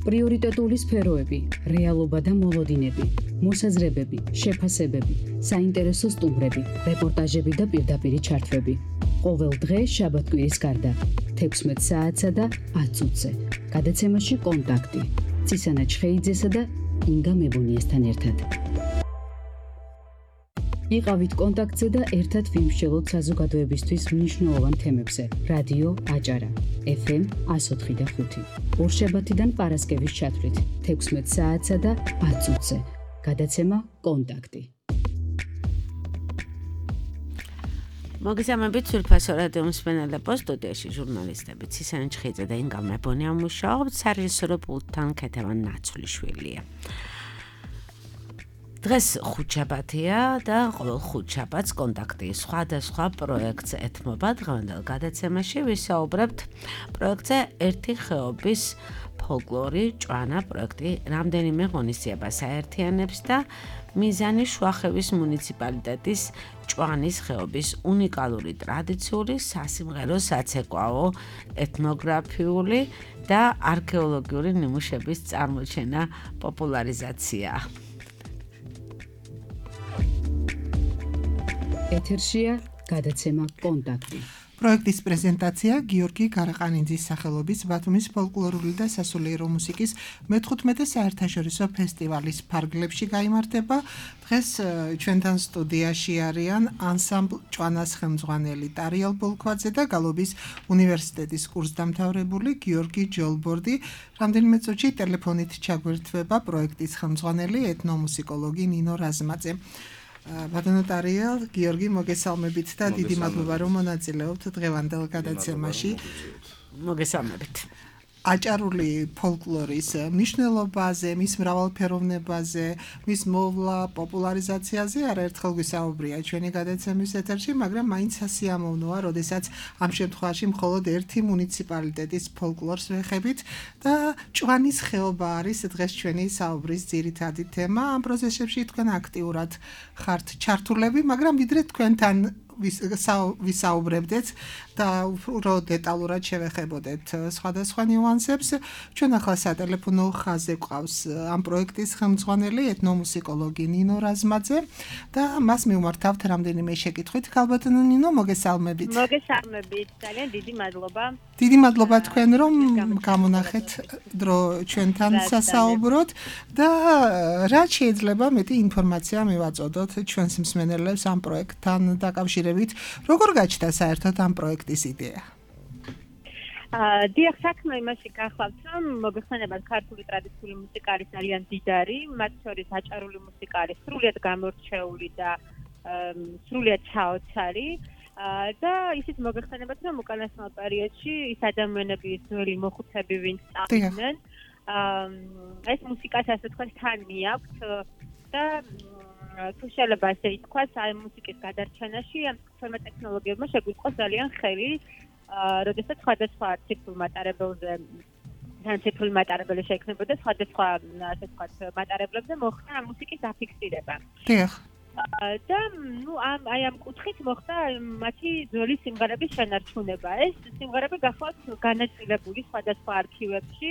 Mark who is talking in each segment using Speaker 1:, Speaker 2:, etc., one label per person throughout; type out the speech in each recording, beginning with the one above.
Speaker 1: პრიორიტეტული სფეროები, რეალობა და მოლოდინები, მოსაზრებები, შეფასებები, საინტერესო სტუმრები, რეპორტაჟები და პირდაპირი ჩართვები. ყოველ დღე შაბათ-კვირის გარდა 16 საათსა და 10 წუთზე. გადაცემაში კონტაქტი. ცისანა ჩხეიძესა და ინგა მებონიესთან ერთად. იყავით კონტაქტზე და ერთად ვიმსჯელოთ საზოგადოებისთვის მნიშვნელოვან თემებზე. რადიო აჭარა, FM 104.5. ორშაბათიდან პარასკევის ჩათვლით 16 საათსა და 10 წუთზე. გადაცემა კონტაქტი.
Speaker 2: მოგესალმებით სულფასო რადიო მსმენელებო, სტუდიაში ჟურნალისტები ცისანა ჩხეიძე და ინგა მებონია მუშაობთ, სარეჟისორო პულტთან ქეთევან ნაცვლიშვილია. დღეს ხუთშაბათია და ყოველ ხუთშაბათს კონტაქტი სხვადასხვა პროექტს ეთმობა. დღევანდელ გადაცემაში ვისაუბრებთ პროექტზე ერთი ხეობის ფოლკლორი ჭვანა პროექტი რამდენიმე ღონისძიებას აერთიანებს და მიზანი შუახევის მუნიციპალიტეტის ჭვანის ხეობის უნიკალური ტრადიციული სასიმღერო საცეკვაო ეთნოგრაფიული და არქეოლოგიური ნიმუშების წარმოჩენა პოპულარიზაცია.
Speaker 1: ეთერშია გადაცემა კონტაქტი.
Speaker 3: პროექტის პრეზენტაცია გიორგი გარაყანიძის სახელობის ბათუმის ფოლკლორული და სასულიერო მუსიკის მე-15 საერთაშორისო ფესტივალის ფარგლებში გაიმართება. დღეს ჩვენთან სტუდიაში არიან ანსამბლ ჭვანას ხელმძღვანელი ტარიელ ბოლქვაძე და გალობის უნივერსიტეტის კურსდამთავრებული გიორგი ჯოლბორდი. რამდენიმე წუთში ტელეფონით ჩაგვერთვება პროექტის ხელმძღვანელი ეთნომუსიკოლოგი ნინო რაზმაძე. ბატონო ტარიელ, გიორგი, მოგესალმებით და დიდი მადლობა რომ მონაწილეობთ დღევანდელ გადაცემაში.
Speaker 2: მოგესალმებით.
Speaker 3: აჭარული ფოლკლორის მნიშვნელობაზე, მის მრავალფეროვნებაზე, მის მოვლა, პოპულარიზაციაზე არაერთხელ გვისაუბრია ჩვენი გადაცემის ეთერში, მაგრამ მაინც სასიამოვნოა, როდესაც ამ შემთხვევაში მხოლოდ ერთი მუნიციპალიტეტის ფოლკლორს ვეხებით და ჭვანის ხეობა არის დღეს ჩვენი საუბრის ძირითადი თემა. ამ პროცესებში თქვენ აქტიურად ხართ ჩართულები, მაგრამ ვიდრე თქვენთან ვისაუბრებდეთ და უფრო დეტალურად შევეხებოდეთ სხვადასხვა ნიუანსებს. ჩვენ ახლა სატელეფონო ხაზზე გვყავს ამ პროექტის ხელმძღვანელი ეთნომუსიკოლოგი ნინო რაზმაძე და მას მივმართავთ რამდენიმე შეკითხვით. ქალბატონო ნინო, მოგესალმებით.
Speaker 4: მოგესალმებით, ძალიან დიდი მადლობა.
Speaker 3: დიდი მადლობა თქვენ რომ გამონახეთ დრო ჩვენთან სასაუბროთ და რაც შეიძლება მეტი ინფორმაცია მივაწოდოთ ჩვენს მსმენელებს ამ პროექტთან დაკავშირებით. როგორ გაჩნდა საერთოდ ამ პროექტის იდეა?
Speaker 4: დიახ, საქმე იმაში გახლავთ, რომ მოგეხსენებათ ქართული ტრადიციული მუსიკა არის ძალიან დიდარი, მათ შორის აჭარული მუსიკა არის სრულიად გამორჩეული და სრულიად ჩაოცარი. და ისიც მოგეხსენებათ, რომ უკანასკნელ პერიოდში ის ადამიანები, ძველი მოხუცები, ვინც წავიდნენ, ეს მუსიკას ასე თქვა თან მიაქვთ და თუ შეიძლება ასე ითქვას, აი მუსიკის გადარჩენაში ამ ცნობილ ტექნოლოგიებმა შეგვიწყო ძალიან ხელი, როდესაც სხვადასხვა ციფრულ მატარებელზე ციფრული მატარებელი შეიქმნებოდა სხვადასხვა ასე ვთქვათ მატარებლებზე მოხდა მუსიკის აფიქსირება.
Speaker 3: დიახ.
Speaker 4: და აი ამ კუთხით მოხდა მათი ძველი სიმღერების შენარჩუნება. ეს სიმღერები გახლავთ განაწილებული სხვადასხვა არქივებში.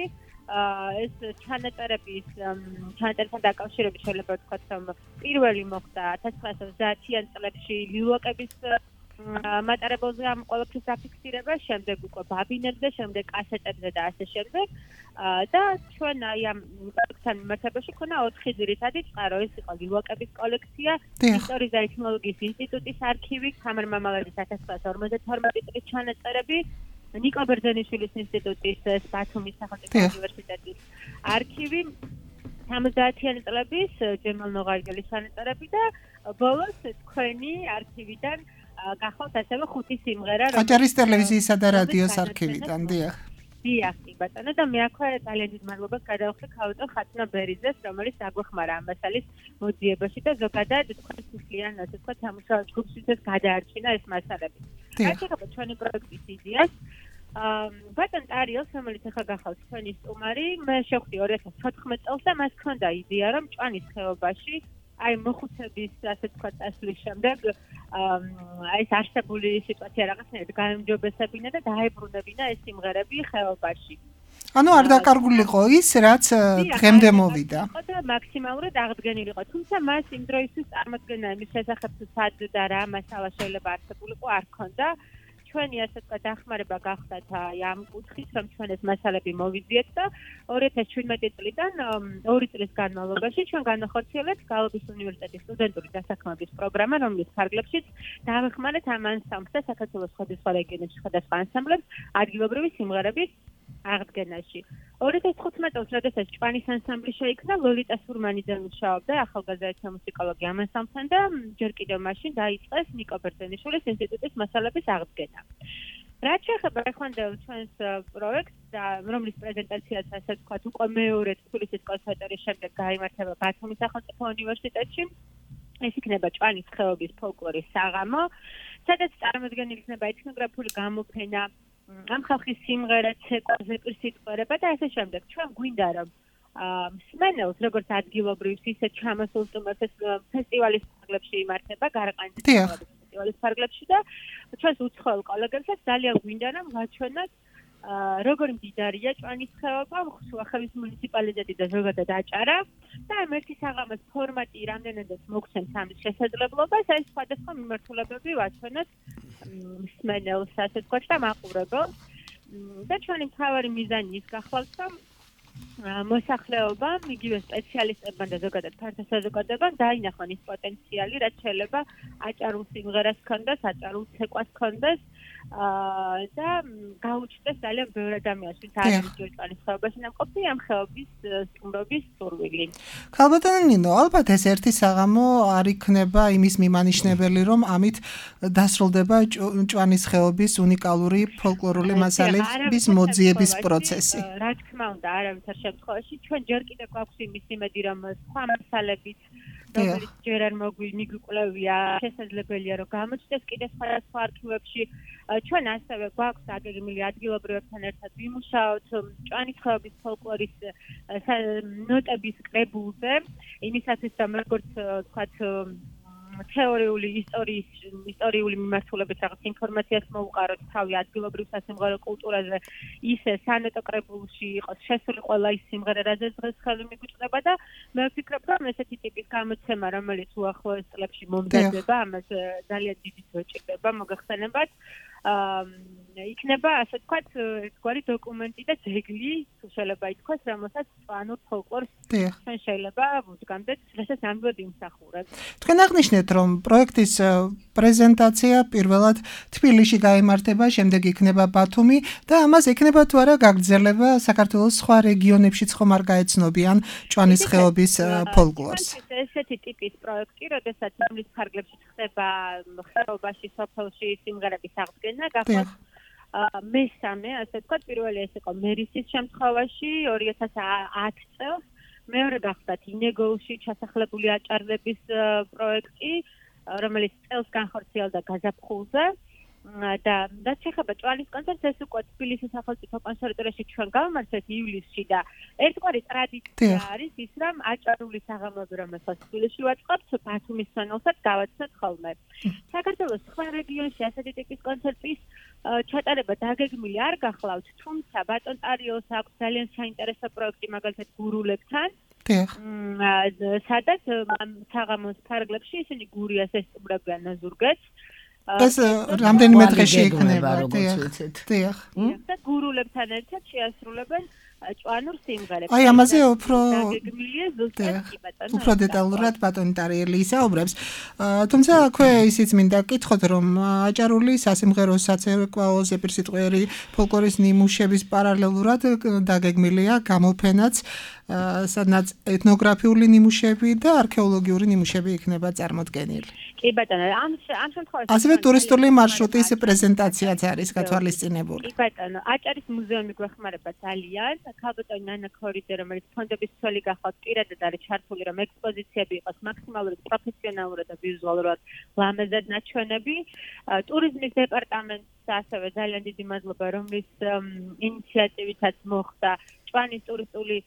Speaker 4: ეს ჩანაწერებთან დაკავშირებით შეიძლება ვთქვათ, რომ პირველი მოხდა 1930-იან წლებში ლილვაკების მატარებელზე ამ ყველაფრის აფიქსირება, შემდეგ უკვე ბაბინებზე, შემდეგ კასეტებზე და ასე შემდეგ. და ჩვენ აი ამ პროექტთან მიმართებაში ქონა 4 ძირითადი წყარო. ეს იყო ლილვაკების კოლექცია, ისტორიის და ეთნოლოგიის ინსტიტუტის არქივი, თამარ მამალაძის 1952 წლის ჩანაწერები, ნიკო ბერძენიშვილის ინსტიტუტის ბათუმის სახელმწიფო უნივერსიტეტის არქივი, 70-იანი წლების ჯემალ ნოღარგელის ჩანაწერები და ბოლოს თქვენი არქივიდან გახავთ ასევე 5 სიმღერა,
Speaker 3: აჭარის ტელევიზიისა და რადიოს არქივიდან, დიახ.
Speaker 4: დიახ, ბატონო, და მე აქვე ძალიან დიდ მადლობას გადავხდი ქალბატონ ხატნა ბერიძეს, რომელიც აგვეხმარა ამ მასალის მოძიებაში და ზოგადად თქვენ სულიან, ასე ვთქვათ, სამუშაო ჯგუფშიც გადაარჩინა ეს მასალები. რაც ეხება ჩვენი პროექტის იდეას, ბატონ ტარიელს, რომელიც ახლა გახავთ თქვენი სტუმარი, მე შევხვდი 2014 წელს და მას ჰქონდა იდეა, რომ ჭვანის ხეობაში აი მოხუცების ასე ვთქვათ წასვლის შემდეგ ეს არსებული სიტუაცია რაღაცნაირად გაემჯობესებინა და დაებრუნებინა ეს სიმღერები ხეობაში.
Speaker 3: ანუ არ დაკარგულიყო ის, რაც დღემდე მოვიდა.
Speaker 4: და მაქსიმალურად აღდგენილიყო. თუმცა მას იმ დროისთვის წარმოქმნა იმის შესახებ თუ სად და რა მასალა შეიძლება არსებულიყო არ ქონდა. ჩვენი ასე ვთქვათ დახმარება გახდათ ამ კუთხით, რომ ჩვენ ეს მასალები მოვიძიეთ და 2017 წლიდან 2 წლის განმავლობაში ჩვენ განახორციელებთ გალობის უნივერსიტეტის სტუდენტური დასაქმების პროგრამა, რომლის ფარგლებშიც დავეხმარეთ ამ ანსამბლს და საქართველოს სხვადასხვა რეგიონებში სხვადასხვა ანსამბლებს ადგილობრივი სიმღერების აღდგენაში. 2015 წელს, როდესაც ჭვანის ანსამბლი შეიქმნა, ლოლიტა სურმანიძე მუშაობდა ახალგაზრდა მუსიკოლოგი ამ ანსამბლთან და ჯერ კიდევ მაშინ დაიწყეს ნიკო ბერძენიშვილის ინსტიტუტის მასალების აღდგენა. რაც შეეხება ეხანდელ ჩვენს პროექტს, რომლის პრეზენტაციაც ასე ვთქვათ, უკვე მეორე თბილისის კონსერვატორიის შემდეგ გაიმართება ბათუმის სახელმწიფო უნივერსიტეტში. ეს იქნება ჭვანის ხეობის ფოლკლორის საღამო, სადაც წარმოდგენილი იქნება ეთნოგრაფიული გამოფენა, ამ ხალხის სიმღერა, ცეკვა, ზეპირსიტყვერება და ასე შემდეგ. ჩვენ გვინდა რომ მსმენელს, როგორც ადგილობრივს, ისე ჩამოსულ სტუმრებს ფესტივალის ფარგლებში იმართება, გარაყანდის ფესტივალის ფარგლებში და ჩვენს უცხოელ კოლეგებსაც ძალიან გვინდა რომ ვაჩვენოთ როგორი მდიდარია ჭვანის ხეობა, შუახევის მუნიციპალიტეტი და ზოგადად აჭარა და ამ ერთი საღამოს ფორმატი რამდენადაც მოგცემს ამის შესაძლებლობას, ეს სხვადასხვა მიმართულებები ვაჩვენოთ მსმენელს, ასე ვთქვათ და მაყურებელს. და ჩვენი მთავარი მიზანი ის გახლავთ, რომ მოსახლეობამ, იგივე სპეციალისტებმა და ზოგადად ფართო საზოგადოებამ დაინახონ ის პოტენციალი, რაც შეიძლება აჭარულ სიმღერას ჰქონდეს, აჭარულ ცეკვას ჰქონდეს და გაუჩნდეს ძალიან ბევრ ადამიანს, ვინც არ არის ჭვანის ხეობაში ნამყოფი ამ ხეობის სტუმრობის სურვილი.
Speaker 3: ქალბატონო ნინო, ალბათ ეს ერთი საღამო არ იქნება იმის მიმანიშნებელი, რომ ამით დასრულდება ჭვანის ხეობის უნიკალური ფოლკლორული მასალების მოძიების პროცესი.
Speaker 4: რა თქმა უნდა, არავითარ შემთხვევაში ჩვენ ჯერ კიდევ გვაქვს იმის იმედი, რომ სხვა მასალებით რომელიც ჯერ არ მიგვიკვლევია, შესაძლებელია რომ გამოჩნდეს კიდევ სხვადასხვა არქივებში. ჩვენ ასევე გვაქვს დაგეგმილი ადგილობრივებთან ერთად ვიმუშაოთ ჭვანის ხეობის ფოლკლორის ნოტების კრებულზე, იმისათვის რომ როგორც ვთქვათ თეორიული ისტორიული მიმართულებით რაღაც ინფორმაციას მოუყაროთ თავი ადგილობრივ სასიმღერო კულტურაზე, ისე სანოტო კრებულში იყოს შესული ყველა ის სიმღერა, რაზეც დღეს ხელი მიგვიწყდება და მე ვფიქრობ, რომ ესეთი ტიპის გამოცემა, რომელიც უახლოეს წლებში მომზადდება, ამას ძალიან დიდი დრო ჭირდება მოგახსენებათ. იქნება ასე ვთქვათ ერთგვარი დოკუმენტი და ძეგლი, თუ შეიძლება ითქვას, რომელსაც ჭვანურ ფოლკლორს ჩვენ შეიძლება ვუდგამდეთ, რასაც ამბობ იმსახურებს.
Speaker 3: თქვენ აღნიშნეთ, რომ პროექტის პრეზენტაცია პირველად თბილისში გაიმართება, შემდეგ იქნება ბათუმი და ამას ექნება თუ არა გაგრძელება საქართველოს სხვა რეგიონებშიც ხომ არ გაეცნობიან ჭვანის ხეობის ფოლკლორს.
Speaker 4: ესეთი ტიპის პროექტი, როდესაც რომლის ფარგლებში ხდება ხეობაში, სოფელში სიმღერების აღდგენა, გახსოვთ მესამე, ასე ვთქვათ, პირველი ეს იყო მერისის შემთხვევაში 2010 წელს, მეორე გახდათ ინეგოულში ჩასახლებული აჭარლების პროექტი, რომელიც წელს განხორციელდა გაზაფხულზე. და რაც შეეხება ჭვანის კონცერტს, ეს უკვე თბილისის სახელმწიფო კონსერვატორიაში ჩვენ გავმართეთ ივლისში და ერთგვარი ტრადიცია არის ის, რომ აჭარული საღამოები, რომელსაც თბილისში ვაწყობთ, ბათუმის სვენელსაც გავაცნოთ ხოლმე. საქართველოს სხვა რეგიონში ასეთი ტიპის კონცერტის ჩატარება დაგეგმილი არ გახლავთ, თუმცა ბატონ ტარიელს აქვს ძალიან საინტერესო პროექტი მაგალითად გურულებთან. სადაც საღამოს ფარგლებში ისინი გურიას ესტუმრებიან ნაზურგეთს.
Speaker 3: ეს რამდენიმე დღეში იქნება,
Speaker 2: როგორც ვიცით.
Speaker 3: დიახ.
Speaker 4: და გურულებთან ერთად შეასრულებენ ჭვანურ სიმღერებს.
Speaker 3: აი ამაზე უფრო
Speaker 4: დაგეგმილია ზუსტად კი ბატონო.
Speaker 3: უფრო დეტალურად ბატონი ტარიელი ისაუბრებს. თუმცა აქვე ისიც მინდა გკითხოთ, რომ აჭარული სასიმღერო საცეკვაო ზეპირსიტყვიერი ფოლკლორის ნიმუშების პარალელურად დაგეგმილია გამოფენაც, სადაც ეთნოგრაფიული ნიმუშები და არქეოლოგიური ნიმუშები იქნება წარმოდგენილი.
Speaker 4: კი ბატონო, ამ შემთხვევაში
Speaker 3: ასევე ტურისტული მარშრუტის პრეზენტაციაც არის გათვალისწინებული.
Speaker 4: კი ბატონო, აჭარის მუზეუმი გვეხმარება ძალიან. ქალბატონი ნანა ქორიძე, რომელიც ფონდების ცველი გახლავთ, პირადად არის ჩართული, რომ ექსპოზიციები იყოს მაქსიმალურად პროფესიონალურად და ვიზუალურად ლამაზად ნაჩვენები. ტურიზმის დეპარტამენტს ასევე ძალიან დიდი მადლობა, რომლის ინიციატივითაც მოხდა ჭვანის ტურისტული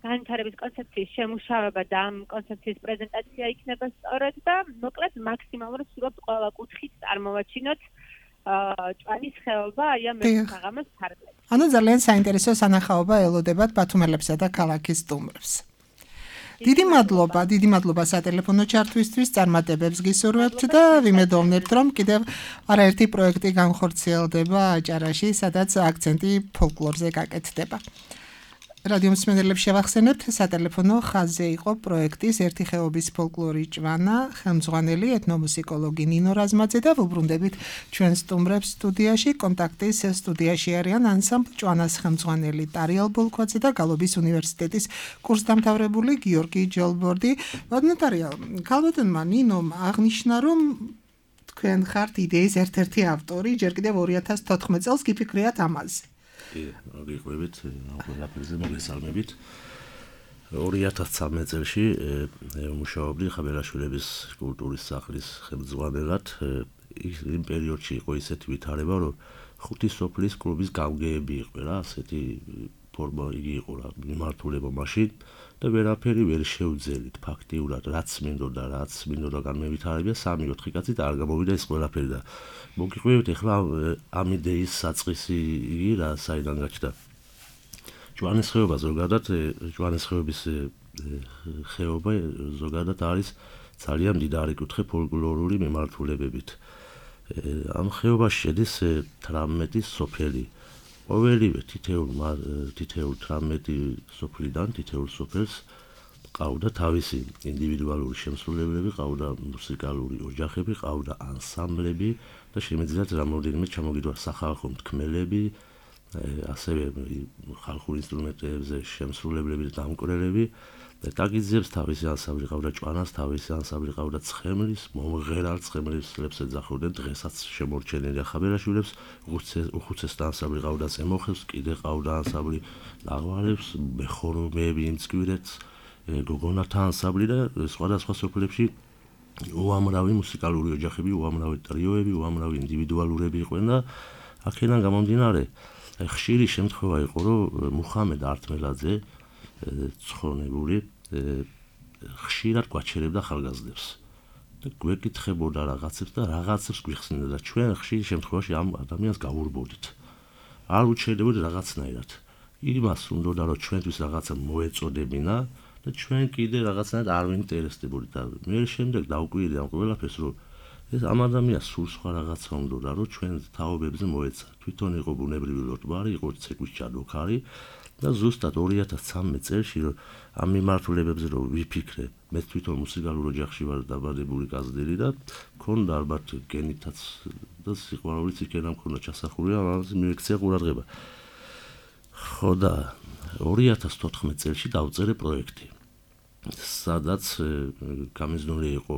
Speaker 4: განვითარების კონცეფციის შემუშავება და ამ კონცეფციის პრეზენტაცია იქნება სწორად და მოკლედ მაქსიმალურად ვსურვებთ ყველა კუთხით წარმოვაჩინოთ ჭვანის ხეობა აი ამ საღამოს ფარგლებში.
Speaker 3: ანუ ძალიან საინტერესო სანახაობა ელოდებათ ბათუმელებსა და ქალაქის სტუმრებს. დიდი მადლობა სატელეფონო ჩართვისთვის, წარმატებებს გისურვებთ და ვიმედოვნებთ, რომ კიდევ არაერთი პროექტი განხორციელდება აჭარაში, სადაც აქცენტი ფოლკლორზე გაკეთდება. რადიო მსმენელებს შევახსენებთ, სატელეფონო ხაზზე იყო პროექტის ერთი ხეობის ფოლკლორი ჭვანა, ხელმძღვანელი ეთნომუსიკოლოგი ნინო რაზმაძე და ვუბრუნდებით ჩვენ სტუმრებს სტუდიაში. კონტაქტის სტუდიაში არიან ანსამბლ ჭვანას ხელმძღვანელი ტარიელ ბოლქვაძე და გალობის უნივერსიტეტის კურსდამთავრებული გიორგი ჯოლბორდი. ტარიელ, ქალბატონმა ნინომ აღნიშნა, რომ თქვენ ხართ იდეის ერთ-ერთი ავტორი, ჯერ კიდევ 2014 წელს გიფიქრიათ ამაზე.
Speaker 5: გიყვებით, ყველაფერზე მოგესალმებით. 2013 წელში მუშაობდი ხაბელაშვილების კულტურის სახლის ხელმძღვანელად. იმ პერიოდში იყო ისეთი ვითარება, რომ 5 სოფლის კლუბის გამგეები იყო რა, ასეთი ფორმა იგი იყო რა, მიმართულება მაშინ და ვერაფერი ვერ შევძელით ფაქტიურად, რაც მინდოდა განმევითარებია 3-4 კაცით არ გამოვიდა ეს ყველაფერი და მოგიყვებით ახლა ამ იდეის საწყისი იგი რა საიდან გაჩნდა. ჭვანის ხეობა ზოგადად, ჭვანის ხეობის ხეობა ზოგადად არის ძალიან მდიდარი კუთხე ფოლკლორული მიმართულებებით. ამ ხეობაში შედის 18 სოფელი. ყოველივე თითოეულ 18 სოფლიდან თითოეულ სოფელს ყავდა თავისი ინდივიდუალური შემსრულებლები, ყავდა მუსიკალური ოჯახები, ყავდა ანსამბლები და შემიძლიათ რამოდენიმე ჩამოგიდვა სახალხო მთქმელები, ასევე ხალხურ ინსტრუმენტებზე შემსრულებლები და დამკვირვებლები. დაგიძიებს თავისი ანსამბლი ყავდა ჭვანას, თავისი ანსამბლი ყავდა ცხემლის, მომღერალ ცხემლებს ეძახოდნენ დღესაც შემორჩენილი ხაბელაშვილებს, უხუცესთა ანსამბლი ყავდა ზემოხევს, კიდე ყავდა ანსამბლი ლაღვარებს, მეხორომეები იმცკვირეთს, გოგონათა ანსამბლი და სხვადასხვა სოფლებში უამრავი მუსიკალური ოჯახები, უამრავი ტრიოები, უამრავი ინდივიდუალურები იყვნენ და აქედან გამომდინარე ხშირი შემთხვევა იყო, რომ მუხამედ ართმელაძე ცხონებული ხშირად გვაჩერებდა ხალგაზრდებს და გვეკითხებოდა რაღაცებს და რაღაცებს გვიხსნიდა და ჩვენ ხშირი შემთხვევაში ამ ადამიანს გავურბოდით. არ უჩერდებოდი რაღაცნაირად. იმას უნდა რომ ჩვენთვის რაღაცა მოეწოდებინა და ჩვენ კიდე რაღაცნაირად არ ვინტერესდებოდით და მე შემდეგ დავკვირდი ამ ყველაფერს, რომ ეს ამ ადამიანს სულ სხვა რაღაცა უნდა რომ ჩვენ თაობებზე მოეცა. თვითონ იყო ბუნებრივი ლოტბარი, იყო ცეკვის ჩადოქარი და ზუსტად 2013 წელს ამ მიმართულებებზე რომ ვიფიქრე, მე თვითონ მუსიკალურ ოჯახში ვარ დაბადებული კაზდელი და მქონდა ალბათ გენითაც და სიყვარულიც იქენა მქონდა ჩასახული, ამაზე მიექცია ყურადღება. ხო და 2014 წელს დავწერე პროექტი, სადაც გამიზნული იყო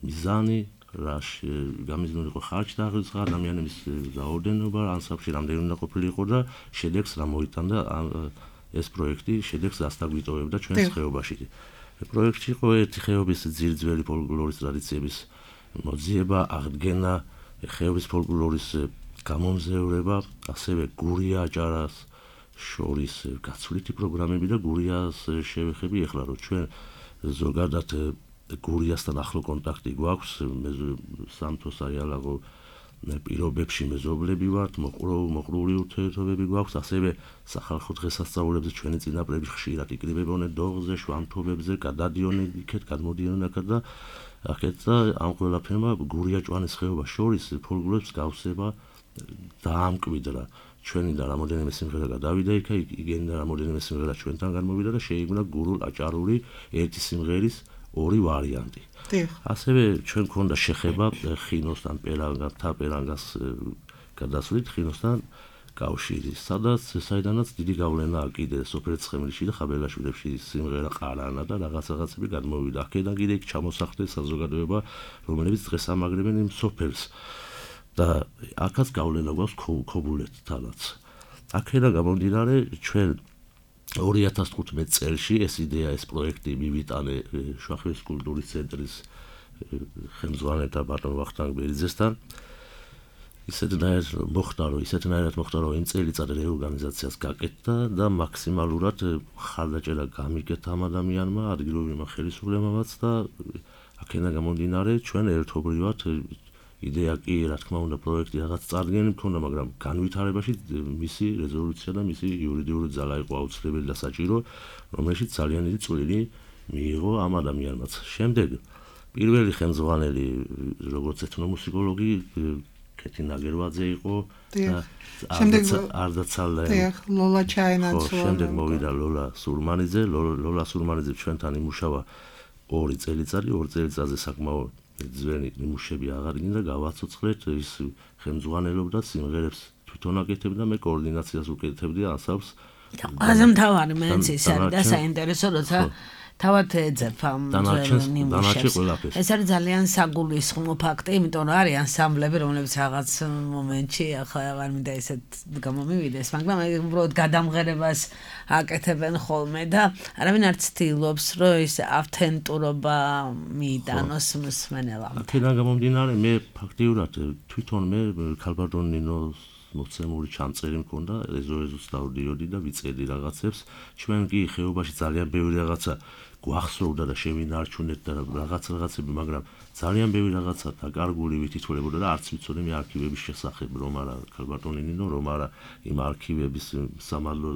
Speaker 5: მიზანი, გამიზნული იყო ხარჯ-დაღრიცხვა, ადამიანების რაოდენობა, ანსამბლში რამდენი უნდა ყოფილიყო და შედეგს რა მოიტანდა ეს პროექტი, შედეგს დასაგვიტოვებდა ჩვენს ხეობაში. პროექტში იყო ერთი ხეობის ძირძველი ფოლკლორის ტრადიციების მოძიება, აღდგენა, ხეობის ფოლკლორის გამომზევრება, ასევე გურია აჭარას შორის გაცვლითი პროგრამები და გურიას შევეხები ახლა რომ ჩვენ ზოგადად გურიასთან ახლო კონტაქტი გვაქვს, სამთო საიალაღო პირობებში მეზობლები ვართ, მოყრული ურთიერთობები გვაქვს, ასევე სახალხო დღესასწაულებზე ჩვენი წინაპრები ხშირად იკრიბებოდნენ დოღზე, შვამთობებზე, გადადიოდნენ იქეთ, გადმოდიოდნენ აქეთ და აქეთ და ამ ყველაფერმა გურია ჭვანის ხეობა შორის ფოლკლორის გავსება დაამკვიდრა. ჩვენიდან რამოდენიმე სიმღერა გადავიდა იქა, იგენიდან რამოდენიმე სიმღერა ჩვენთან გამოვიდა და შეიქმნა გურულ-აჭარული ერთი სიმღერის ორი ვარიანტი. ასევე ჩვენ გქონდა შეხება ხინოსთან, პერანგას გადასვლით ხინოსთან კავშირი, საიდანაც დიდი გავლენა კიდე სოფელ ცხემლში და ხაბელაშვილებში სიმღერა ყარანა და რაღაცები გადმოვიდა. აქედან კიდე იქ ჩამოსახლდა საზოგადოება, რომელიც დღეს ამაგრებენ იმ სოფელს. და აქაც გავლენა გვაქვს ქობულეთთანაც. აქედან გამომდინარე ჩვენ 2015 წელში ეს იდეა, ეს პროექტი მივიტანე შუახევის კულტურის ცენტრის ხელმძღვანელთა ბატონ ვახტანგ ბერიძესთან. ისეთნაირად მოხდა, რომ იმ წელიწად რეორგანიზაციას გაკეთდა და მაქსიმალურად ხარდაჭერა გამიგეთ ამ ადამიანმა, ადგილობრივმა ხელისუფლებამაც და აქედან გამომდინარე ჩვენ ერთობლივად იდეა კი რა თქმა უნდა პროექტი რაღაც წარდგენილი მქონდა, მაგრამ განვითარებაში მისი რეზოლუცია და მისი იურიდიული ძალა იყო აუცილებელი და საჭირო, რომელშიც ძალიან დიდი წვლილი მიიღო ამ ადამიანმაც. შემდეგ პირველი ხელმძღვანელი როგორც ეთნომუსიკოლოგი კეთი ნაგერვაძე იყო და
Speaker 3: შემდეგ
Speaker 5: არდაცალე
Speaker 3: ლოლა ჩაენაცვლა.
Speaker 5: შემდეგ მოვიდა ლოლა სურმანიძე. ლოლა სურმანიძე ჩვენთან იმუშავა 2 წელიწადი, 2 წელიწადზე საკმაოდ ძველი ნიმუშები აღარ გინდა გავაცოცხლეთ, ის ხელმძღვანელობდა სიმღერებს თვითონ აკეთებდა, მე კოორდინაციას უკეთებდი ანსამბლს.
Speaker 2: ყველაზე მთავარი მეც ის არის და საინტერესო როცა თავად ეძებ ამ ნიმუშებს. ეს არის ძალიან საგულისხმო ფაქტი, იმიტომ რომ არის ანსამბლები, რომლებიც რაღაც მომენტში ახლა არ მინდა ესეთ გამომივიდეს, მაგრამ უბრალოდ გადამღერებას აკეთებენ ხოლმე და არავინ არ ცდილობს, რომ ის ავთენტურობა მიიტანოს მსმენელამდე.
Speaker 5: აქედან გამომდინარე, მე ფაქტიურად თვითონ მე ქალბატონ ნინოს მოცემული ჩამწერი მქონდა, ეზო-ეზოს დავდიოდი და ვიწერდი რაღაცებს. ჩვენ კი ხეობაში ძალიან ბევრი რაღაცა გვახსოვდა და შევინარჩუნეთ და რაღაცები, მაგრამ ძალიან ბევრი რაღაცა დაკარგული ვითითვლებოდა და არც ვიცოდი მე არქივების შესახებ, რომ არა ქალბატონი ნინო, რომ არა იმ არქივების სამართლო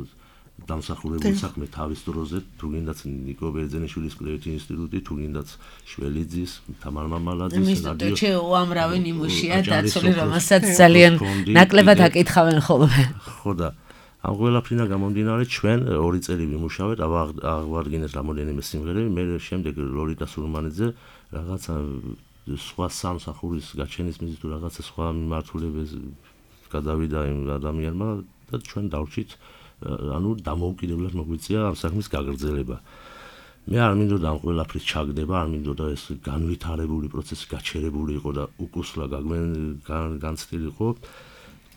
Speaker 5: დამსახურებული საქმე თავის დროზე, თუ გინდაც ნიკო ბერძენიშვილის კვლევითი ინსტიტუტი, თუ გინდაც შველიძის, თამარ მამალაძის
Speaker 2: რადიო უამრავი ნიმუშია დაცული, რომელსაც ძალიან ნაკლებად აკითხავენ ხოლმე.
Speaker 5: ხო და ამ ყველაფრიდან გამომდინარე ჩვენ 2 წელი ვიმუშავეთ, აღვადგინეთ რამოდენიმე სიმღერები, მე შემდეგ ლოლიტა სურმანიძე რაღაცა სხვა სამსახურის გაჩენის მიზნით თუ რაღაცა სხვა მიმართულებას გადავიდა იმ ადამიანმა და ჩვენ დავრჩით ანუ დამოუკიდებლად მოგვიწია ამ საქმის გაგრძელება. მე არ მინდოდა ამ ყველაფრის ჩაგდება, არ მინდოდა ეს განვითარებული პროცესი გაჩერებული იყო და უკუსლა განცდილიყო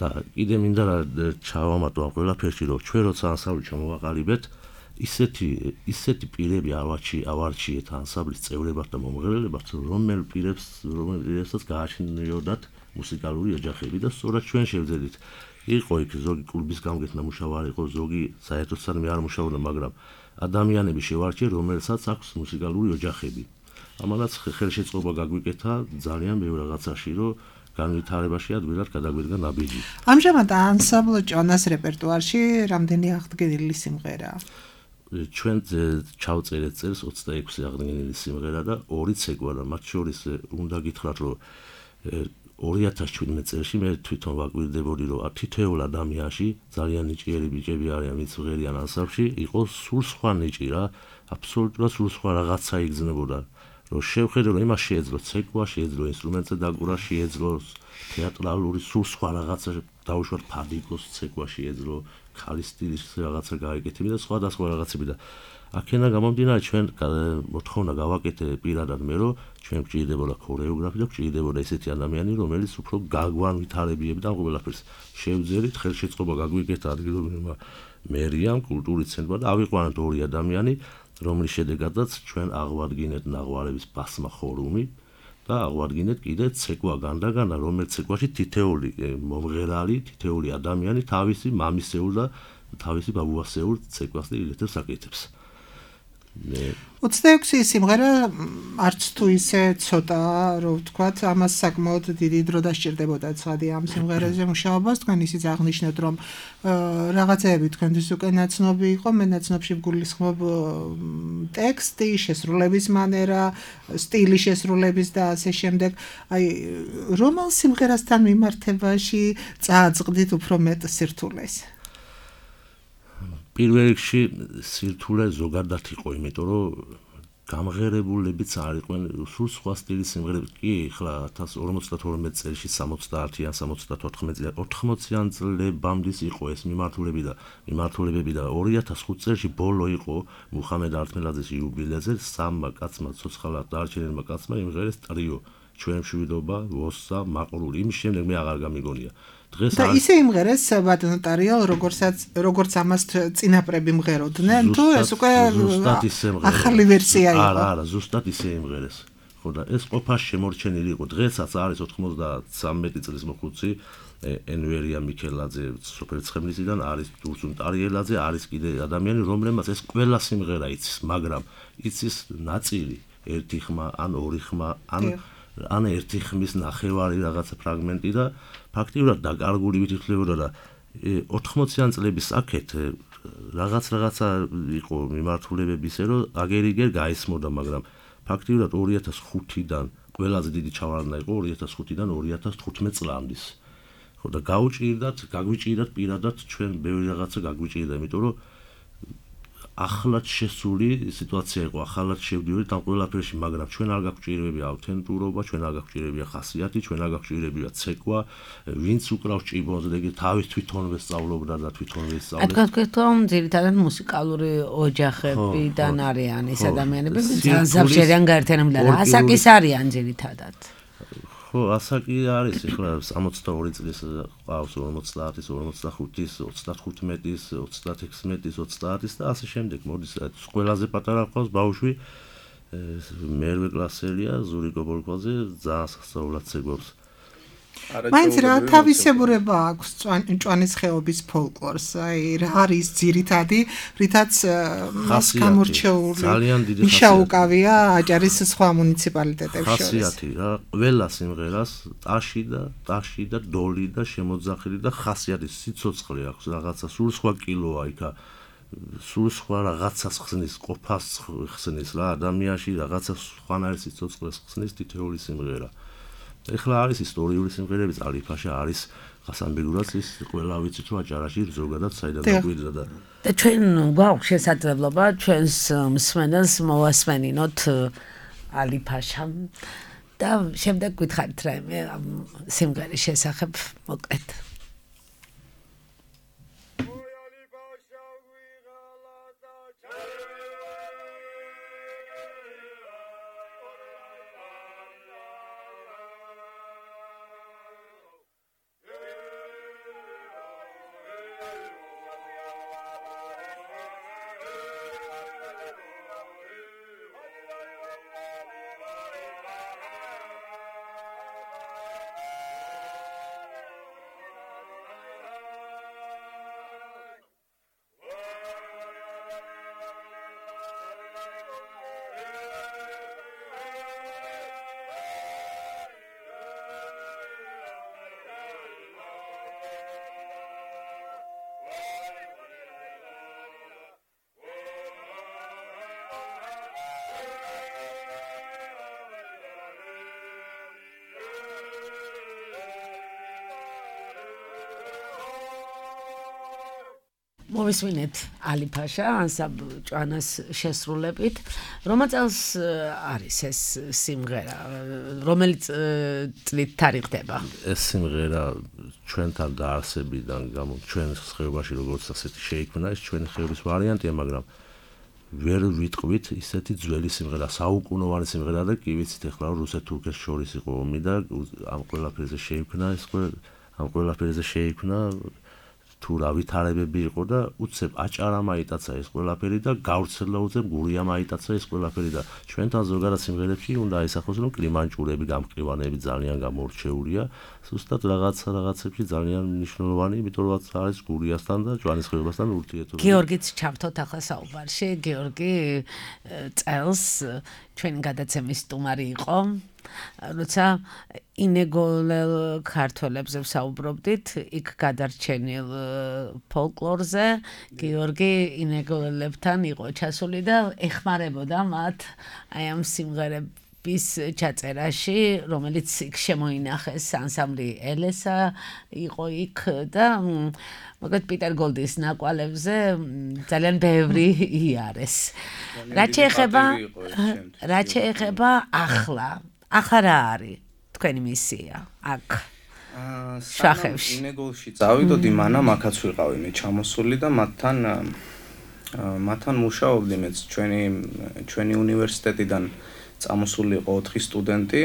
Speaker 5: და კიდე მინდა რა ჩავამატო ამ ყველაფერში, რომ ჩვენ როცა ანსამბლი ჩამოვაყალიბეთ, ისეთი პირები ავარჩიეთ ანსამბლის წევრებად და მომღერლებად, რომელსაც გააჩნიოდათ მუსიკალური ოჯახები და სწორად ჩვენ შევძელით. იყო იქ ზოგი კლუბის გამგეთ ნამუშევარი იყო, ზოგი საერთოდ სანამ არ მუშაობდა, მაგრამ ადამიანები შევარჩიე, რომელსაც აქვს მუსიკალური ოჯახები. ამანაც ხელშეწყობა გაგვიკეთა ძალიან ბევრ რაღაცაში, რომ განვითარებაში ადვილად გადაგვიდგა ნაბიჯი.
Speaker 3: ამჟამად ანსამბლ ჭონას რეპერტუარში რამდენი აღდგენილი სიმღერაა?
Speaker 5: ჩვენ ჩავწერეთ წელს 26 აღდგენილი სიმღერა და 2 ცეკვა და მათ შორის უნდა გითხრათ, რომ 2017 წელს მე თვითონ ვაკვირდებოდი, რომ თითოეულ ადამიანში ძალიან ნიჭიერი ბიჭები არიან, ვინც ღერიან ანსამბლში, იყო სულ სხვა ნიჭი რა, აბსოლუტურად სულ სხვა რაღაცა იგრძნებოდა. რომ შევხედო, რომ იმას შეეძლო ცეკვა, შეეძლო ინსტრუმენტზე დაკვრა, შეეძლო თეატრალური სულ სხვა რაღაცა დაუშვათ ფადიკოს ცეკვა, შეეძლო ქალის სტილის რაღაცა გაეკეთები და სხვა რაღაცები და აქედან გამომდინარე ჩვენ მოთხოვნა გავაკეთე პირადად მე, რომ ჩვენ გვჭირდებოდა ქორეოგრაფი და გვჭირდებოდა ესეთი ადამიანი, რომელიც უფრო გაგვანვითარებიებდა ამ ყველაფერს. შევძელით, ხელშეწყობა გაგვიკეთა ადგილობრივმა მერიამ, კულტურის ცენტრმა და ავიყვანეთ 2 ადამიანი, რომლის შედეგადაც ჩვენ აღვადგინეთ ნაღვარების ბასმა ხორუმი და აღვადგინეთ კიდე ცეკვა განდაგანა, რომელიც ცეკვაში თითეული მომღერალი, თითეული ადამიანი თავისი მამისეულ და თავისი ბაბუასეულ ცეკვას და ილეთებს აკეთებს.
Speaker 3: 26 სიმღერა არც თუ ისე ცოტაა, რომ ვთქვათ, ამას საკმაოდ დიდი დრო დასჭირდებოდა ცხადი ამ სიმღერაზე მუშაობას. თქვენ ისიც აღნიშნეთ, რომ რაღაცეები თქვენთვის უკვე ნაცნობი იყო, მე ნაცნობში ვგულისხმობ ტექსტი, შესრულების მანერა, სტილი შესრულების და ასე შემდეგ. აი, რომელ სიმღერასთან მიმართებაში წააწყდით უფრო მეტ სირთულეს?
Speaker 5: პირველ რიგში სირთულე ზოგადად იყო, იმიტომ რომ გამღერებულებიც არ იყვნენ სულ სხვა სტილის სიმღერები. კი, ახლა 1052 წელში 70-იან, 74 80-იან წლებამდე იყო ეს მიმართულებები და 2005 წელში ბოლო იყო მუხამედ ართმელაძის იუბილეზე 3 კაცმა ცოცხალად დარჩენილმა კაცმა იმღერეს ტრიო ჩვენ მშვიდობა, ვოსა, მაყრული. იმის შემდეგ მე აღარ გამიგონია.
Speaker 3: და ისე იმღერეს ბატონოტარიო, როგორც ამას წინაპრები მღეროდნენ, თუ ეს უკვე ახალი ვერსია იყო?
Speaker 5: არა, ზუსტად ისე იმღერეს. ხო და ეს ყოფაში შემორჩენილი იყო. დღესაც არის 93 წლის მოხუცი ენვერია მიქელაძე სოფელცხემლისიდან, არის დურსუნ ტარიელაძე, არის კიდე ადამიანი, რომლებმაც ეს ყველა სიმღერა იცის, მაგრამ იცის ნაწილი, 1 ხმა ან 2 ხმა ან ან ერთი ხმის ნახევარი რაღაცა ფრაგმენტი და ფაქტიურად დაკარგული ვითვლებოდა და 80-იან წლების აქეთ რაღაცა იყო მიმართულებები ისე რომ აგერ-იგერ გაისმოდა, მაგრამ ფაქტიურად 2005-დან ყველაზე დიდი ჩავარდნა იყო 2005-დან 2015 წლამდის. ხო და გაგვიჭირდათ პირადად ჩვენ ბევრი რაღაცა გაგვიჭირდა, იმიტომ რომ ახლად შესული სიტუაცია იყო, ახლად შევდივართ ამ ყველაფერში, მაგრამ ჩვენ არ გაგვჭირებია ავთენტურობა, ჩვენ არ გაგვჭირებია ხასიათი, ჩვენ არ გაგვჭირებია ცეკვა, ვინც უკრავს ჭიბონს, ეგ თავის თვითონვე სწავლობდა და თვითონვე სწავლობდა.
Speaker 2: თქვენ თვითონ ძირითადად მუსიკალური ოჯახებიდან არიან ეს ადამიანები, ზაფშერიან გაერთიანებიდან. ასაკის არიან ძირითადად.
Speaker 5: ხო, ასაკი არის ახლა 62 წლის ყავს 50-ის, 45-ის, 35-ის, 36-ის, 30-ის და ასე შემდეგ. მოდის ყველაზე პატარა ყავს ბავშვი მერვე კლასელია, ზურიკო ბოლქვაძე, ძალიან სასწაულად ცეკვავს.
Speaker 3: მაინც რა თავისებურება აქვს ჭვანის ხეობის ფოლკლორს, აი რა არის ძირითადი, რითაც მას გამორჩეული მიშაუკავია აჭარის სხვა მუნიციპალიტეტებს შორის.
Speaker 5: ხასიათი რა, ყველა სიმღერას ტაში და დოლი და შემოძახილი და ხასიათი სიცოცხლე აქვს, რაღაცა სულ სხვა კილოა იქა. სულ სხვა რაღაცას ხსნის, ყოფას ხსნის რა, ადამიანში რაღაცა სხვანაირი სიცოცხლეს ხსნის თითოეული სიმღერა. ეხლა არის ისტორიული სიმღერები, წალიფაშა არის ხასანბეგურაც ის ყველა ვიცით რომ აჭარაში ზოგადად საიდან დაგვიდგა და
Speaker 2: ჩვენ გვაქვს შესაძლებლობა ჩვენს მსმენელს მოვასმენინოთ ალიფაშამ და შემდეგ გითხარით რაიმე ამ სიმღერის შესახებ მოკლედ. მოვისმინეთ ალიფაშა ანსამბლ ჭვანას შესრულებით. რომელ წელს არის ეს სიმღერა? რომელი წლით თარიღდება?
Speaker 5: ეს სიმღერა ჩვენთან დაარსებიდან ჩვენ ხეობაში როგორც ასეთი შეიქმნა, ეს ჩვენი ხეობის ვარიანტია, მაგრამ ვერ ვიტყვით ისეთი ძველი სიმღერა, საუკუნოვანი სიმღერა და კი ვიცით ახლა რუსეთ-თურქეთს შორის იყო ომი და ამ ყველაფერზე შეიქმნა თუ რა ვითარებები იყო და უცებ აჭარა მაიტაცა ეს ყველაფერი და გავრცელდა უცებ გურია მაიტაცა ეს ყველაფერი და ჩვენთან ზოგადად სიმღერებში უნდა აისახოს რომ კლიმანჭურები, გამყივანები ძალიან გამორჩეულია, ზუსტად რაღაცებში ძალიან მნიშვნელოვანი, იმიტომ რომ არის გურიასთან და ჭვანის ხეობასთან ურთიერთობა.
Speaker 2: გიორგიც ჩავთოთ ახლა საუბარში. გიორგი წელს ჩვენი გადაცემის სტუმარი იყო. როცა ინეგოლელ ქართველებზე ვსაუბრობდით, იქ გადარჩენილ ფოლკლორზე, გიორგი ინეგოლელებთან იყო ჩასული და ეხმარებოდა მათ აი ამ სიმღერების ჩაწერაში, რომელიც იქ შემოინახეს, ანსამბლი ელესა იყო იქ და მოკლედ პიტერ გოლდის ნაკვალებზე ძალიან ბევრი იარეს. რა შეეხება ახლა რა არის თქვენი მისია აქ შახევში?
Speaker 6: ინეგოლში წავიდოდი, მანამ აქაც ვიყავი მე ჩამოსული და მათთან მუშაობდი მეც ჩვენი უნივერსიტეტიდან წამოსული იყო 4 სტუდენტი,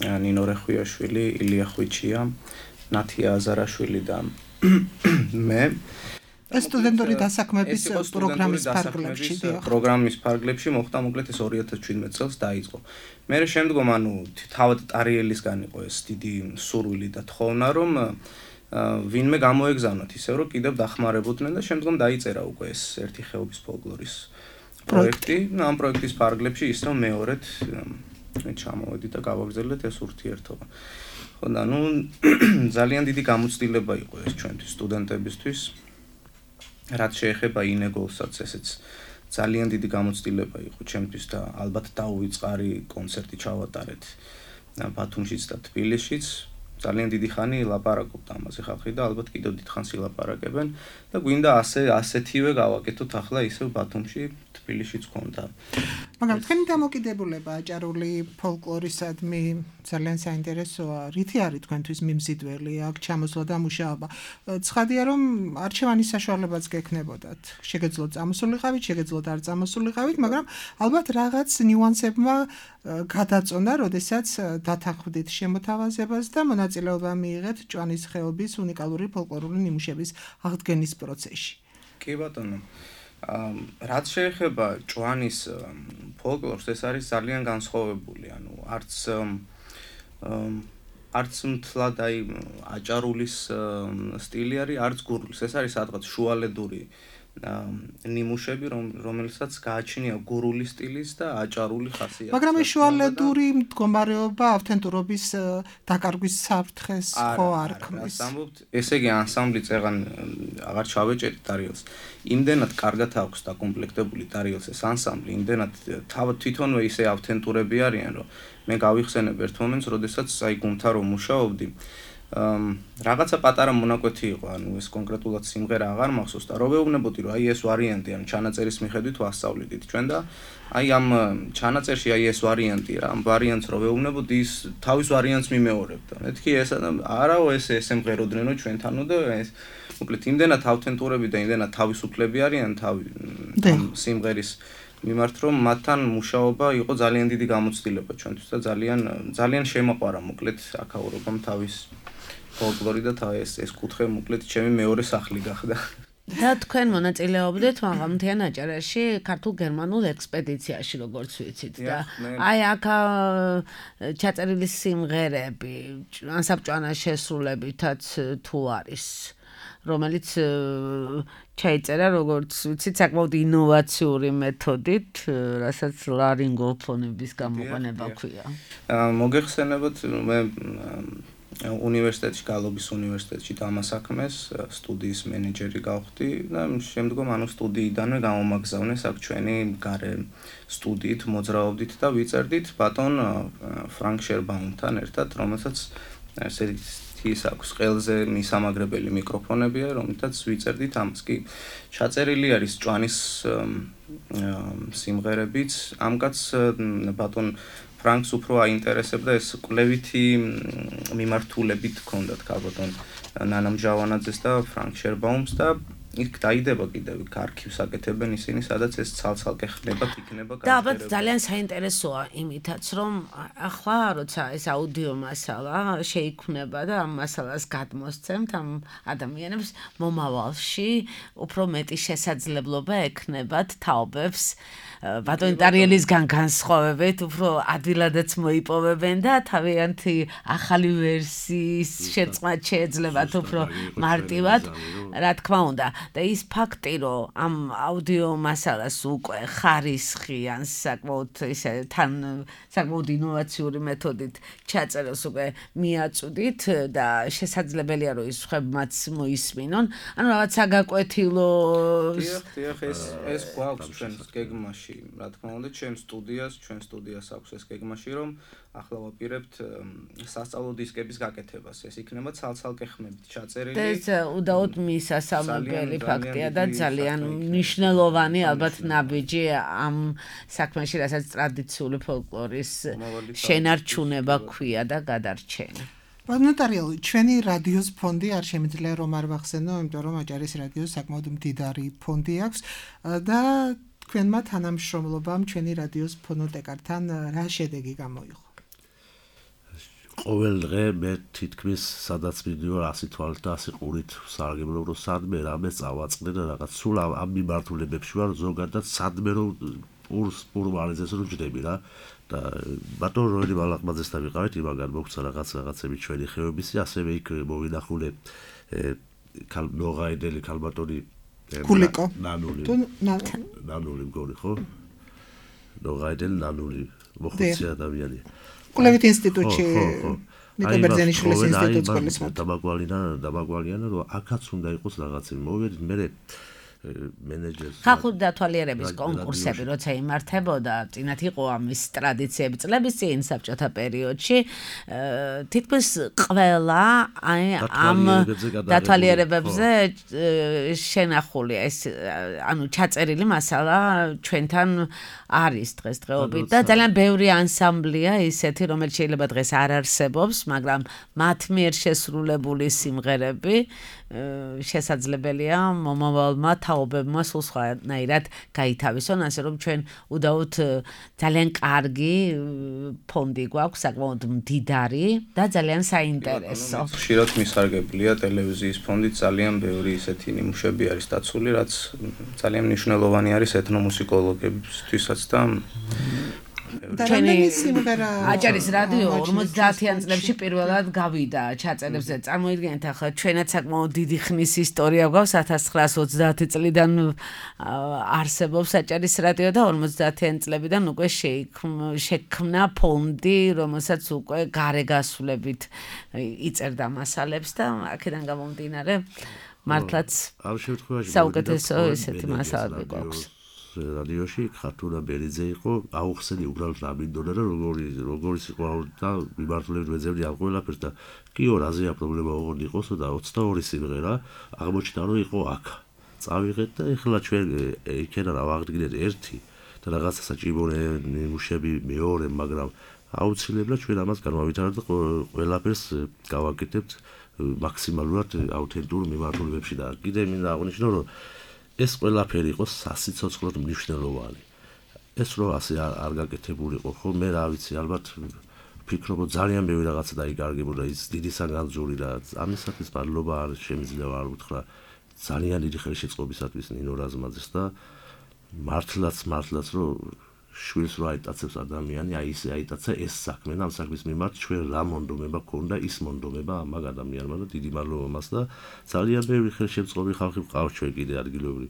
Speaker 6: ნინო რეხვიაშვილი, ილია ხვიჩია, ნათია აზარაშვილი და მე.
Speaker 3: ეს სტუდენტური დასაქმების
Speaker 6: პროგრამის ფარგლებში მოხდა მოკლედ ეს 2017 წელს დაიწყო. მე შემდგომ თავად ტარიელისგან იყო ეს დიდი სურვილი და თხოვნა რომ ვინმე გამოეგზავნოთ ისე რომ კიდევ დახმარებოდნენ და შემდგომ დაიწერა უკვე ეს ერთი ხეობის ფოლკლორის პროექტი. ამ პროექტის ფარგლებში ის რომ მეორედ ჩამოვედით და გავაგრძელეთ ეს ურთიერთობა. ხო და ნუ ძალიან დიდი გამოცდილება იყო ეს ჩვენთვის სტუდენტებისთვის. რაც შეეხება ინეგოლსაც, ესეც ძალიან დიდი გამოცდილება იყო ჩემთვის და ალბათ დაუვიწყარი კონცერტი ჩავატარეთ ბათუმშიც და თბილისშიც. ძალიან დიდი ხანი ლაპარაკობთ ამაზე ხალხი და ალბათ კიდევ დიდხანს ილაპარაკებენ და გვინდა ასეთივე გავაკეთოთ ახლა ისევ ბათუმში, თბილისშიც ქონდა.
Speaker 3: მაგრამ თქვენი დამოკიდებულება აჭარული ფოლკლორისადმი ძალიან საინტერესოა. რითი არის თქვენთვის მიმზიდველი აქ ჩამოსვლა და მუშაობა? ცხადია რომ არჩევანის საშუალებაც გექნებოდათ. შეგეძლოთ წამოსულიყავით, შეგეძლოთ არ წამოსულიყავით, მაგრამ ალბათ რაღაც ნიუანსებმა გადაწონა, როდესაც დათანხმდით შემოთავაზებას და მონაწილეობა მიიღეთ ჭვანის ხეობის უნიკალური ფოლკლორული ნიმუშების აღდგენის პროცესში.
Speaker 6: კი ბატონო. რაც შეეხება ჭვანის ფოლკლორს, ეს არის ძალიან განსხვავებული, ანუ არც მთლად აი აჭარულის სტილი არის, არც გურულის. ეს არის სადღაც შუალედური ნიმუშები, რომელსაც გააჩნია გურული სტილის და აჭარული ხასიათი.
Speaker 3: მაგრამ ეს შუალედური მდგომარეობა ავთენტურობის დაკარგვის საფრთხეს ხო არ ქმნის?
Speaker 6: ესე იგი ანსამბლი წეღან აღარ ჩავეჭერით დარიელს. იმდენად კარგად აქვს დაკომპლექტებული დარიელს ეს ანსამბლი, იმდენად თვითონვე ისე ავთენტურები არიან, რომ მე გავიხსენებ ერთ მომენტს, როდესაც აი გუნდთან რომ მუშაობდი, რაღაცა პატარა მონაკვეთი იყო, ანუ ეს კონკრეტულად სიმღერა აღარ მახსოვს და რო ვეუბნებოდი, რომ აი ეს ვარიანტი, ანუ ჩანაწერის მიხედვით ვასწავლიდით ჩვენ და აი ამ ჩანაწერში აი ეს ვარიანტია, ამ ვარიანტს რო ვეუბნებოდი, ის თავის ვარიანტს მიმეორებდა. მეთქი ესა და არაო ესე მღეროდნენ ჩვენთანო და ეს მოკლედ იმდენად ავთენტურები და იმდენად თავისუფლები არიან ამ სიმღერის მიმართ, რომ მათთან მუშაობა იყო ძალიან დიდი გამოცდილება ჩვენთვის და ძალიან შემაყვარა მოკლედ აქაურობამ თავის ფოლკლორი და ეს კუთხე მოკლედ ჩემი მეორე სახლი გახდა.
Speaker 2: და თქვენ მონაწილეობდით მაღალმთიან აჭარაში ქართულ-გერმანულ ექსპედიციაში, როგორც ვიცით და აი აქ ჩაწერილი სიმღერები ანსამბლ შესრულებითაც თუ არის, რომელიც ჩაიწერა როგორც ვიცით საკმაოდ ინოვაციური მეთოდით, რასაც ლარინგოფონების გამოყენება ქვია.
Speaker 6: მოგეხსენებათ, მე უნივერსიტეტში, გალობის უნივერსიტეტში დამასაქმეს, სტუდიის მენეჯერი გავხდი და შემდგომ ანუ სტუდიიდანვე გამომაგზავნეს აქ ჩვენი გარე სტუდიით მოძრაობდით და ვიწერდით ბატონ ფრანკ შერბაუმთან ერთად, რომელსაც ის აქვს ყელზე მისამაგრებელი მიკროფონებია, რომელთაც ვიწერდით ამას. კი ჩაწერილი არის ჭვანის სიმღერებიც. ამ კაცს ბატონ ფრანკს უფრო აინტერესებდა ეს კვლევითი მიმართულებით ჰქონდათ ბატონ ნანა მჟავანაძეს და ფრანკ შერბაუმს და იქ დაიდება კიდევ არქივს აკეთებენ ისინი, სადაც ეს ცალ-ცალკე ხდება, იქნება
Speaker 2: და ალბათ ძალიან საინტერესოა იმითაც, რომ ახლა როცა ეს აუდიო მასალა შეიქმნება და ამ მასალას გადმოსცემთ ამ ადამიანებს მომავალში უფრო მეტი შესაძლებლობა ექნებათ თაობებს ბატონ ტარიელისგან განსხვავებით უფრო ადვილადაც მოიპოვებენ და თავიანთი ახალი ვერსიის შეწყვეტ შეეძლებათ უფრო მარტივად, რა თქმა უნდა. და ის ფაქტი, რომ ამ აუდიო მასალას უკვე ხარისხი ან საკმაოდ ისე თან საკმაოდ ინოვაციური მეთოდით ჩაწეროს უკვე მიაწვდით და შესაძლებელია რომ ის ხებმაც მოისმინონ, ანუ რაღაც საგაკვეთილო
Speaker 6: დიახ, ეს გვაქვს ჩვენს გეგმაში, რა თქმა უნდა, ჩვენ სტუდიას აქვს ეს გეგმაში, რომ ახლა ვაპირებთ სასწავლო დისკების გაკეთებას. ეს იქნება ცალ-ცალკე ხმებით ჩაწერილი.
Speaker 2: ეს უდაოდ მისასალმებელი ფაქტია და ძალიან მნიშვნელოვანი ალბათ ნაბიჯი ამ საქმეში, რასაც ტრადიციული ფოლკლორის შენარჩუნება ქვია და გადარჩენა.
Speaker 3: ბატონო ტარიელი, ჩვენი რადიოს ფონდი არ შემიძლია რომ არ ვახსენო, იმიტომ რომ აჭარის რადიოს საკმაოდ მდიდარი ფონდი აქვს და თქვენმა თანამშრომლობამ ჩვენი რადიოს ფონოტეკართან რა შედეგი გამოიღო?
Speaker 5: ყოველ დღე მე თითქმის სადაც ვიდეო 100 თვალით და 100 ყურით სარგებლობ, რომ სადმე რამე წავაწყდე და რაღაც სულ ამ მიმართულებებში ვარ, ზოგადად სადმე რომ პურვალიზეს რომ ჯდები რა და ბატონ როელი ბალაყმაძესთან ვიყავით, იმაგან მოგცა რაღაცები ჩვენი ხეობისი, ასევე იქ მოვინახულე ნოღაიდელი ქალბატონი
Speaker 3: გულიკო
Speaker 5: ნანული მგონი ხო? ნოღაიდელ ნანული მოხუცი ადამიანია.
Speaker 3: კვლევით ინსტიტუტში ნიკო ბერძენიშვილის ინსტიტუტს გულისხმობ.
Speaker 5: დამაგვალიანა რომ აქაც უნდა იყოს რაღაცები. მოვიდით მე მენეჯერს
Speaker 2: ხალხური დათვალიერების კონკურსები როცა იმართებოდა, წინათ იყო ამის ტრადიციები წლების წინ საბჭოთა პერიოდში, თითქმის ყველა ამ დათვალიერებებზე შენახულია ეს ანუ ჩაწერილი მასალა ჩვენთან არის დღესდღეობით და ძალიან ბევრი ანსამბლია ისეთი, რომელიც შეიძლება დღეს არ არსებობს, მაგრამ მათ მიერ შესრულებული სიმღერები შესაძლებელია მომავალმა თაობებმა სულ სხვანაირად გაითავისონ, ასე რომ ჩვენ უდაოდ ძალიან კარგი ფონდი გვაქვს, საკმაოდ მდიდარი და ძალიან საინტერესო.
Speaker 6: ხშირად მისარგებლია ტელევიზიის ფონდით ძალიან ბევრი ისეთი ნიმუშები არის დაცული, რაც ძალიან მნიშვნელოვანი არის ეთნომუსიკოლოგებისთვისაც და
Speaker 3: ჩვენი სიმღერა
Speaker 2: აჭარის რადიო 50-იან წლებში პირველად გავიდა ჩაწერებზე. წარმოიდგინეთ ახლა ჩვენაც საკმაოდ დიდი ხნის ისტორია გვაქვს 1930 წლიდან არსებობს აჭარის რადიო და 50-იან წლებიდან უკვე შექმნა ფონდი, რომელსაც უკვე გარეგასვლებით იწერდა მასალებს და აქედან გამომდინარე მართლაც საუკეთესო ესეთი მასალები გვაქვს.
Speaker 5: რადიოში ხათუნა ბერიძე იყო, აუხსენი უბრალოდ ამინდოდა და როგორიც იყო და მიმართულებით ვეძებდი ამ ყველაფერს და კიო რაზეა პრობლემა ოღონდ იყოსო და 22 სიმღერა აღმოჩნდა რომ იყო აქ. წავიღეთ და ეხლა ჩვენ იქენა რა ვაღდგინეთ ერთი და რაღაცა საჭიროა ნიმუშები მეორე, მაგრამ აუცილებლად ჩვენ ამას განვავითარებთ და ყველაფერს გავაკეთებთ მაქსიმალურად აუთენტურ მიმართულებებში და კიდე მინდა აღნიშნო რომ ეს ყველაფერი იყო სასიცოცხლოდ მნიშვნელოვანი. ეს რო ასე არ გაკეთებულიყო, ხო მე რა ვიცი, ალბათ ფიქრობ ძალიან ბევრი რაღაცა დაიკარგებოდა ის დიდი საგანძური და ამისათვის მადლობა არ შემიძლია არ უთხრა ძალიან დიდი ხელშეწყობისათვის ნინო რაზმაძეს და მართლაც რო შვილს რო აიტაცებს ადამიანი, აი ისე აიტაცა ეს საქმე და ამ საქმის მიმართ ჩვენ რა მონდომება ქონდა, ის მონდომება ამ ადამიანმა და დიდი მადლობა მას და ძალიან ბევრი ხელშეწყობი ხალხი ყავს ჩვენ კიდე ადგილობრივი.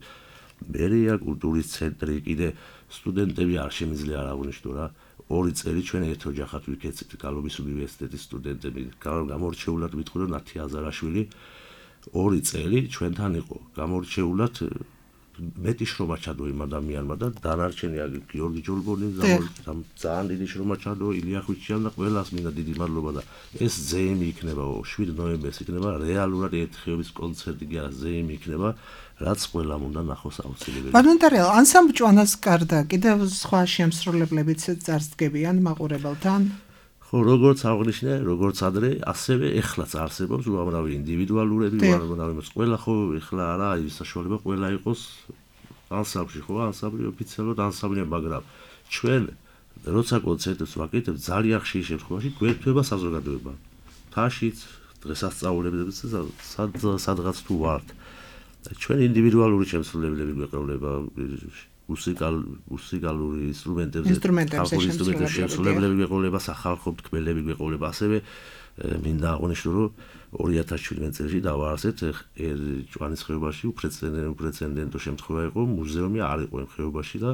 Speaker 5: მერია კულტურის ცენტრი კიდე სტუდენტები არ შემიძლია არ აღნიშნო რა. 2 წელი ჩვენ ერთ ოჯახად ვიქეცით გალობის უნივერსიტეტის სტუდენტები. გამორჩეულად ვიტყვი რომ ნათი აზარაშვილი 2 წელი ჩვენთან იყო. გამორჩეულად მეტი შრომა ჩადო იმ ადამიანმა და დანარჩენი გიორგი ჯოლბონი ძალიან დიდი შრომა ჩადო ილია ხვიჩյան და ყველას მინდა დიდი მადლობა და ეს ზეიმი იქნება 7 ნოემბერს იქნება რეალურად ერთხეების კონცერტი კი არა ზეიმი იქნება რაც ყველამ უნდა ნახოს აუცილებელი.
Speaker 3: ბანონტარელ ანსამბლ ჭვანას გარდა კიდევ სხვა შემსრულებლებიც წარსდგებიან მაყურებელთან?
Speaker 5: ხო, როგორც აღნიშნე, როგორც ადრე, ასევე ეხლაც არსებობს უამრავი ინდივიდუალურები, უამრავი ყველა ხო ეხლა არა ის საშუალება ყველა იყოს ანსამბლში, ხო, ანსამბლი ოფიციალურად ანსამბლია, მაგრამ ჩვენ როცა კონცერტებს ვაკეთებთ, ძალიან ხშირ შემთხვევაში გვერდება საზოგადოება. თაშიც, დღესასწაულებებს სადღაც თუ ვართ. ჩვენ ინდივიდუალური შემსრულებლები გვეყოლება მუსიკალური ინსტრუმენტებზე შემსრულებლები გვეყოლება, სახალხო თქმელები გვეყოლება, ასევე მინდა აღნიშნო, რომ 2017 წელს დავაარსეთ ჭვანის ხეობაში უპრეცედენტო შემთხვევა იყო, მუზეუმი არ იყო იმ ხეობაში და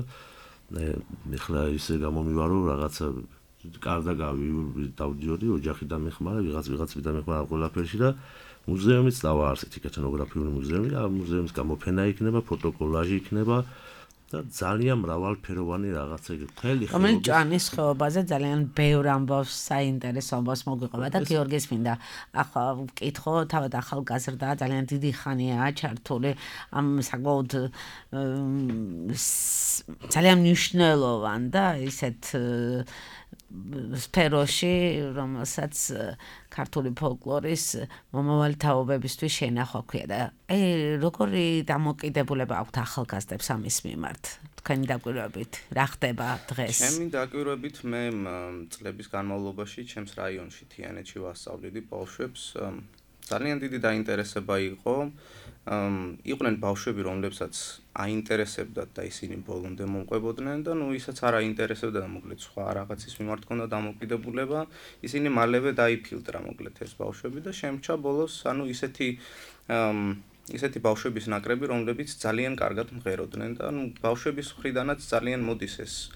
Speaker 5: ეხლა ისე გამომივარო რაღაცა კარდა დავდიოდი ოჯახიდან მეხმარა, ვიღაც დამეხმარა ყველაფერში და მუზეუმიც დავაარსეთ, ეთნოგრაფიული მუზეუმი, ამ მუზეუმის გამოფენა იქნება, ფოტოკოლაჟი იქნება და ძალიან მრავალფეროვანი რაღაცა მთელი
Speaker 2: ხეობის ჭანის ხეობაზე ძალიან ბევრ ამბავს საინტერესო ამბავს მოგვიყვება და გიორგის მინდა ახლა ვკითხო თავად ახალგაზრდა ძალიან დიდი ხანია ჩართული ამ საკმაოდ ძალიან მნიშვნელოვან და ისეთ სფეროში, რომელსაც ქართული ფოლკლორის მომავალი თაობებისთვის შენახვა ქვია და როგორი დამოკიდებულება აქვთ ახალგაზრდებს ამის მიმართ? თქვენი დაკვირვებით რა ხდება დღეს?
Speaker 6: ჩემი დაკვირვებით მე წლების განმავლობაში ჩემს რაიონში თიანეთში ვასწავლედი ბავშვებს ძალიან დიდი დაინტერესება იყო იყვნენ ბავშვები, რომლებსაც აინტერესებდათ და ისინი ბოლომდე მომყვებოდნენ და ნუ ისაც არ აინტერესებდა და მოკლედ სხვა რაღაცის მიმართ ქონდა დამოკიდებულება, ისინი მალევე დაიფილტრა მოკლედ ეს ბავშვები და შემრჩა ბოლოს, ანუ ისეთი ბავშვების ნაკრები, რომლებიც ძალიან კარგად მღეროდნენ და ნუ ბავშვების მხრიდანაც ძალიან მოდის ეს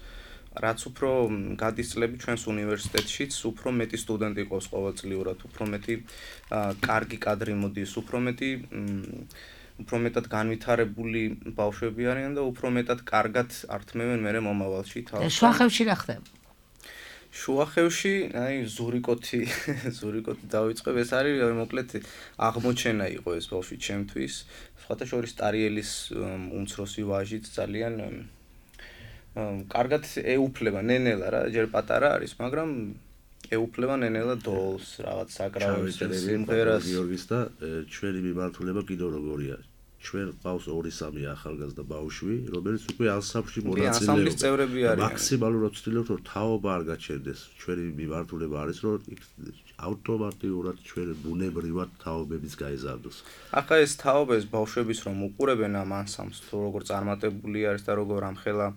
Speaker 6: რაც უფრო გადის წლები ჩვენს უნივერსიტეტშიც, უფრო მეტი სტუდენტი ყავს ყოველწლიურად, უფრო მეტი კარგი კადრი მოდის, უფრო მეტად განვითარებული ბავშვები არიან და უფრო მეტად კარგად ართმევენ მე მომავალში თავს.
Speaker 2: შუახევში რა ხდება?
Speaker 6: შუახევში, ზურიკოთი დავიწყებ, ეს არის მოკლედ აღმოჩენა იყო ეს ბავშვი ჩემთვის. სხვათა შორის ტარიელის უმცროსი ვაჟიც ძალიან კარგად ეუფლება ნენელა რა, ჯერ პატარა არის, მაგრამ ეუფლება ნენელა დოლს, რაღაც საკრავებს, სიმღერას.
Speaker 5: გიორგის და ჩვენი მიმართულება კიდევ როგორია? ჩვენ ყავს 2-3 ახალგაზრდა ბავშვი, რომელიც უკვე ანსამბლში მონაწილეობს.
Speaker 6: ანსამბლის წევრები არიან.
Speaker 5: მაქსიმალურად ვცდილობთ, რომ თაობა არ გაჩერდეს. ჩვენი მიმართულება არის, რომ ავტომატურად ჩვენ ბუნებრივად თაობების გაიზარდოს.
Speaker 6: ახლა ეს თაობა ეს ბავშვების რომ უყურებენ ამ ანსამბლს, თუ როგორ წარმატებული არის და როგორ ამხელა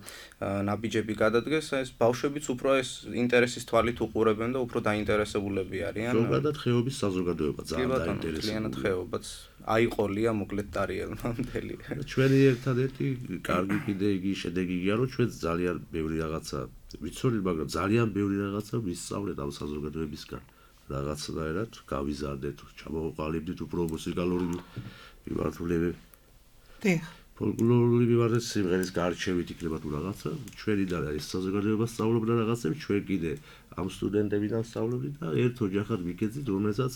Speaker 6: ნაბიჯები გადადგეს, ეს ბავშვებიც უფრო ეს ინტერესის თვალით უყურებენ და უფრო დაინტერესებულები არიან.
Speaker 5: ზოგადად ხეობის საზოგადოება ძალიან დაინტერესებულია.
Speaker 6: კლიანად ხეობაც აიყოლია მოკლედ ტარიელმა მთელი.
Speaker 5: ჩვენი ერთადერთი კარგი კიდე იგი შედეგი იგი რომ ჩვენ ძალიან ბევრი რაღაცა ვიცოდით, მაგრამ ძალიან ბევრი რაღაცა ვისწავლეთ ამ საზოგადოებისგან. რაღაცნაირად გავიზარდეთ, ჩამოვყალიბდით უფრო მუსიკალური მიმართულებები.
Speaker 3: დიახ.
Speaker 5: ფოლკლორული მიმართულებით სიმღერის გარჩევით იქნება თუ რაღაცა, ჩვენი და ეს საზოგადოება სწავლობდა რაღაცებს, ჩვენ კიდე ამ სტუდენტებიდან სწავლობდით და ერთ ოჯახად ვიქეცით, რომელსაც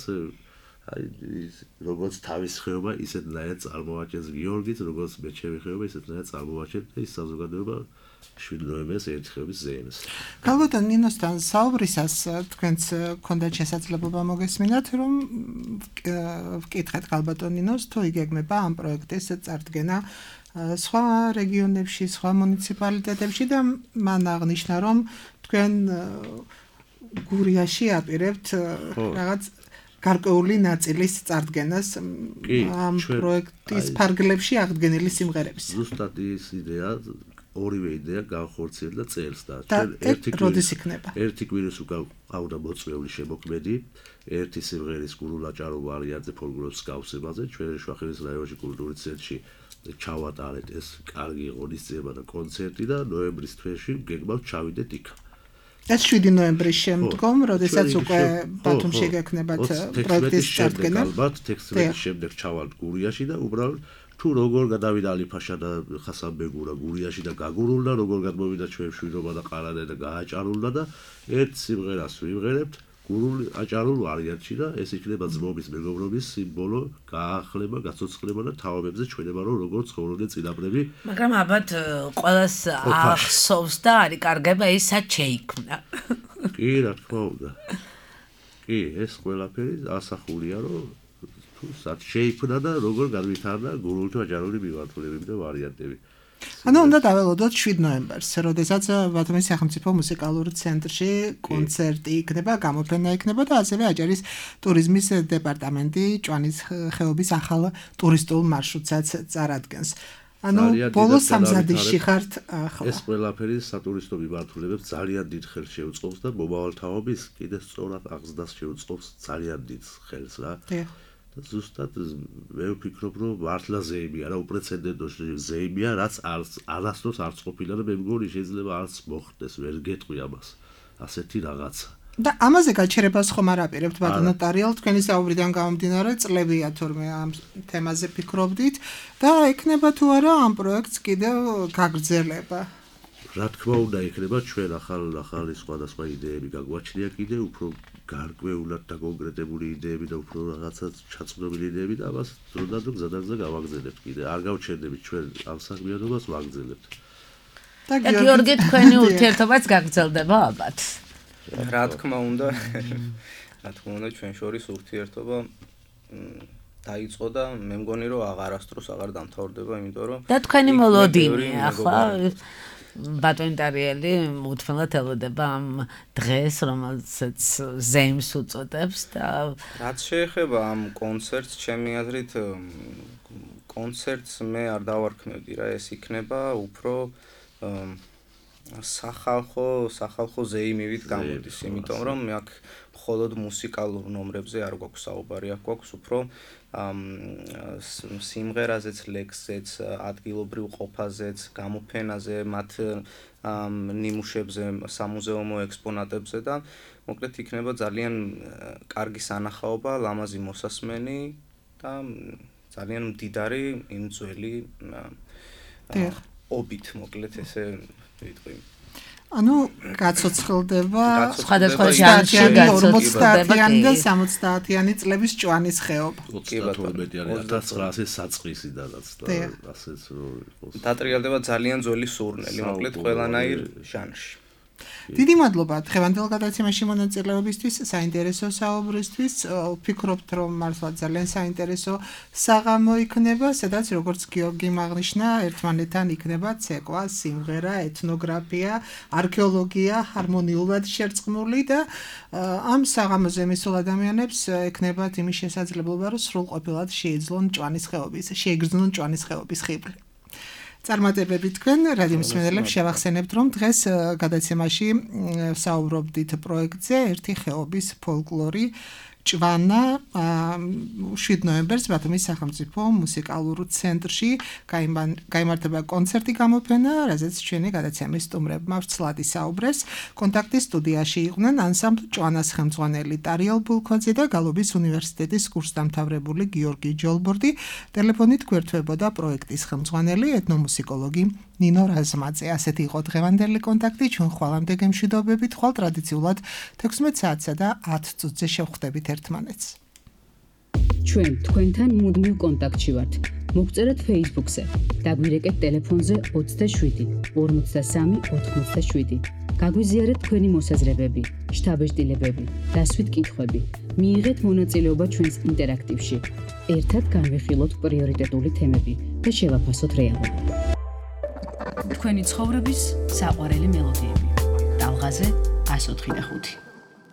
Speaker 5: როგორც თავის ხეობა ისეთნაირად წარმოაჩენს გიორგიც, როგორც მე ჩემი ხეობა ისეთნაირად წარმოაჩენს და ის საზოგადოება 7 ნოემბერს ერთ ხეობის ზეიმს.
Speaker 3: გალბატონ ნინოსთან საუბრისას თქვენც გქონდათ შესაძლებლობა მოგესმინათ, რომ ვკითხეთ გალბატონ ნინოს, თუ იგეგმება ამ პროექტის წარდგენა სხვა რეგიონებში, სხვა მუნიციპალიტეტებში და მან აღნიშნა, რომ თქვენ გურიაში აპირებთ რაღაც გარკვეული ნაწილის წარდგენას ამ პროექტის ფარგლებში აღდგენილი სიმღერების.
Speaker 5: ზუსტად ის იდეა, ორივე იდეა განხორციელდა წელს და
Speaker 3: როდის იქნება?
Speaker 5: ერთი კვირის უკან ყავდა მოწვეული შემოქმედი, ერთი სიმღერის გურულაჭარო ვარიანტზე ფოლკლორის გავსებაზე, ჩვენ შუახევის რაიონში კულტურის ცენტრში ჩავატარეთ ეს კარგი ღონისძიება და კონცერტი და ნოემბრის თვეში გეგმავთ ჩავიდეთ იქ.
Speaker 3: ეს 7 ნოემბრის შემდგომ, როდესაც უკვე ბათუმში გექნებათ პროექტის წარდგენა.
Speaker 5: ალბათ 16-ის შემდეგ ჩავალთ გურიაში და უბრალოდ თუ როგორ გადავიდა ალიფაშა და ხასანბეგურა გურიაში და გაგურულდა, როგორ გადმოვიდა ჩვენ შვიდობა და ყარადა და გააჭარულდა და ერთ სიმღერას ვიმღერებთ გურულ აჭარულ ვარიანტში და ეს იქნება ძმობის მეგობრობის სიმბოლო, გაახლება, გაცოცხლება და თაობებზე ჩვენება რომ როგორ ცხოვრობდნენ წინაპრები.
Speaker 2: მაგრამ ალბათ ყველას ახსოვს და არის კარგება ის სად შეიქმნა.
Speaker 5: კი, რა თქმა უნდა. კი, ეს ყველაფერი ასახულია რომ თუ სად შეიქმნა და როგორ განვითარდა გურულთა აჭარული მიმართულებები და ვარიანტები.
Speaker 3: ანუ უნდა დაველოდოთ 7 ნოემბერს, როდესაც ბათუმის სახელმწიფო მუსიკალური ცენტრში კონცერტი იქნება, გამოფენა იქნება და ასევე აჭარის ტურიზმის დეპარტამენტი ჭვანის ხეობის ახალ ტურისტულ მარშრუტსაც წარადგენს. ანუ ბოლოს სამზადისში ხართ ახლა.
Speaker 5: ეს ყველაფერი სატურისტო მიმართულებებს ძალიან დიდ ხელს შეუწყობს და მომავალ თაობის კიდე სწორად აღზრდას შეუწყობს ძალიან დიდ ხელს რა. ზუსტად მე ვფიქრობ, რომ მართლა ზეიმია რა, უპრეცედენტო ზეიმია, რაც არასდროს არც ყოფილა და მე მგონი შეიძლება არც მოხდეს, ვერ გეტყვი ამას. ასეთი რაღაცა.
Speaker 3: და ამაზე გაჩერებას ხომ არ აპირებთ ბატონო ტარიელ, თქვენი საუბრიდან გამომდინარე, წლებია თორმე ამ თემაზე ფიქრობდით და ექნება თუ არა ამ პროექტს კიდევ გაგრძელება.
Speaker 5: რა თქმა უნდა, იქნება ჩვენ ახალი სხვადასხვა იდეები გაგვაჩნია კიდე უფრო გარკვეულად და კონკრეტებული იდეები და უფრო რაღაცა ჩაწყობილი იდეები და ამას დროდადრო გზადაგზა გავაგზავნებთ კიდე. არ გავჩერდებით ჩვენ ამ საქმიანობას ვაგრძელებთ.
Speaker 2: და გიორგი თქვენი ურთიერთობაც გაგრძელდება ალბათ.
Speaker 6: რა თქმა უნდა, ჩვენ შორის ურთიერთობა დაიწყო და მე მგონი რომ აღარასდროს აღარ დამთავრდება, იმიტომ რომ
Speaker 2: და თქვენი მოლოდინი ახლა ბატონ ტარიელი უთმელად ელოდება ამ დღეს, რომელსაც ზეიმს უწოდებს და
Speaker 6: რაც შეეხება ამ კონცერტს, ჩემი აზრით კონცერტს მე არ დავარქმევდი რა, ეს იქნება უფრო სახალხო ზეიმივით გამოდის, იმიტომ რომ აქ მხოლოდ მუსიკალურ ნომრებზე არ გვაქვს საუბარი, აქ გვაქვს უფრო სიმღერაზეც, ლექსზეც, ადგილობრივ ყოფაზეც, გამოფენაზე, მათ ნიმუშებზე, სამუზეუმო ექსპონატებზე და მოკლედ იქნება ძალიან კარგი სანახაობა, ლამაზი მოსასმენი და ძალიან მდიდარი იმ ძველი ობით, მოკლედ ესე ვიტყვი.
Speaker 3: ანუ გაცოცხლდება
Speaker 2: სხვადასხვა ჟანრში
Speaker 3: გაცოცხლდება და 70-იანი წლების ჭვანის ხეობა.
Speaker 5: 1900 საწყისიდანაც და ასეც რო იყოს.
Speaker 6: დატრიალდება ძალიან ძველი სურნელი, მოკლედ ყველანაირ ჟანრში.
Speaker 3: დიდი მადლობა დღევანდელ გადაცემაში მონაწილეობისთვის, საინტერესო საუბრისთვის. ვფიქრობთ, რომ მართლა ძალიან საინტერესო საღამო იქნება, სადაც როგორც გიორგი აღნიშნა, ერთმანეთთან იქნება ცეკვა, სიმღერა, ეთნოგრაფია, არქეოლოგია ჰარმონიულად შერწყმული და ამ საღამოზე მისულ ადამიანებს ექნებათ იმის შესაძლებლობა, რომ სრულყოფილად შეეძლონ ჭვანის ხეობის ხიბლი. წარმატებები თქვენ, რადიო მსმენელებს შევახსენებთ, რომ დღეს გადაცემაში საუბრობდით პროექტზე ერთი ხეობის ფოლკლორი ჭვანა 7 ნოემბერს ბათუმის სახელმწიფო მუსიკალურ ცენტრში გაიმართება კონცერტი გამოფენა, რაზეც ჩვენი გადაცემის სტუმრებმა ვრცლად ისაუბრეს. კონტაქტის სტუდიაში იყვნენ ანსამბლ ჭვანას ხელმძღვანელი ტარიელ ბულქოძე და გალობის უნივერსიტეტის კურსდამთავრებული გიორგი ჯოლბორდი. ტელეფონით გვერდთვებოდა პროექტის ხელმძღვანელი ეთნომუსიკოლოგი ნინო რაზმაძე. ასეთი იყო დღევანდელი კონტაქტი. ჩვენ ხვალამდე გემშვიდობებით, ხვალ ტრადიციულად 16 საათსა და 10 წუთზე შევხვდებით ერთმანეთს.
Speaker 1: ჩვენ თქვენთან მუდმივ კონტაქტში ვართ. მოგწერეთ Facebook-ზე. დაგვირეკეთ ტელეფონზე 27 53 87. გაგვიზიარეთ თქვენი მოსაზრებები, შთაბეჭდილებები, დასვით კითხვები. მიიღეთ მონაწილეობა ჩვენს ინტერაქტივში. ერთად განვიხილოთ პრიორიტეტული თემები და შევაფასოთ რეალობა. თქვენი ცხოვრების საყვარელი მელოდიები. ტალღაზე 104.5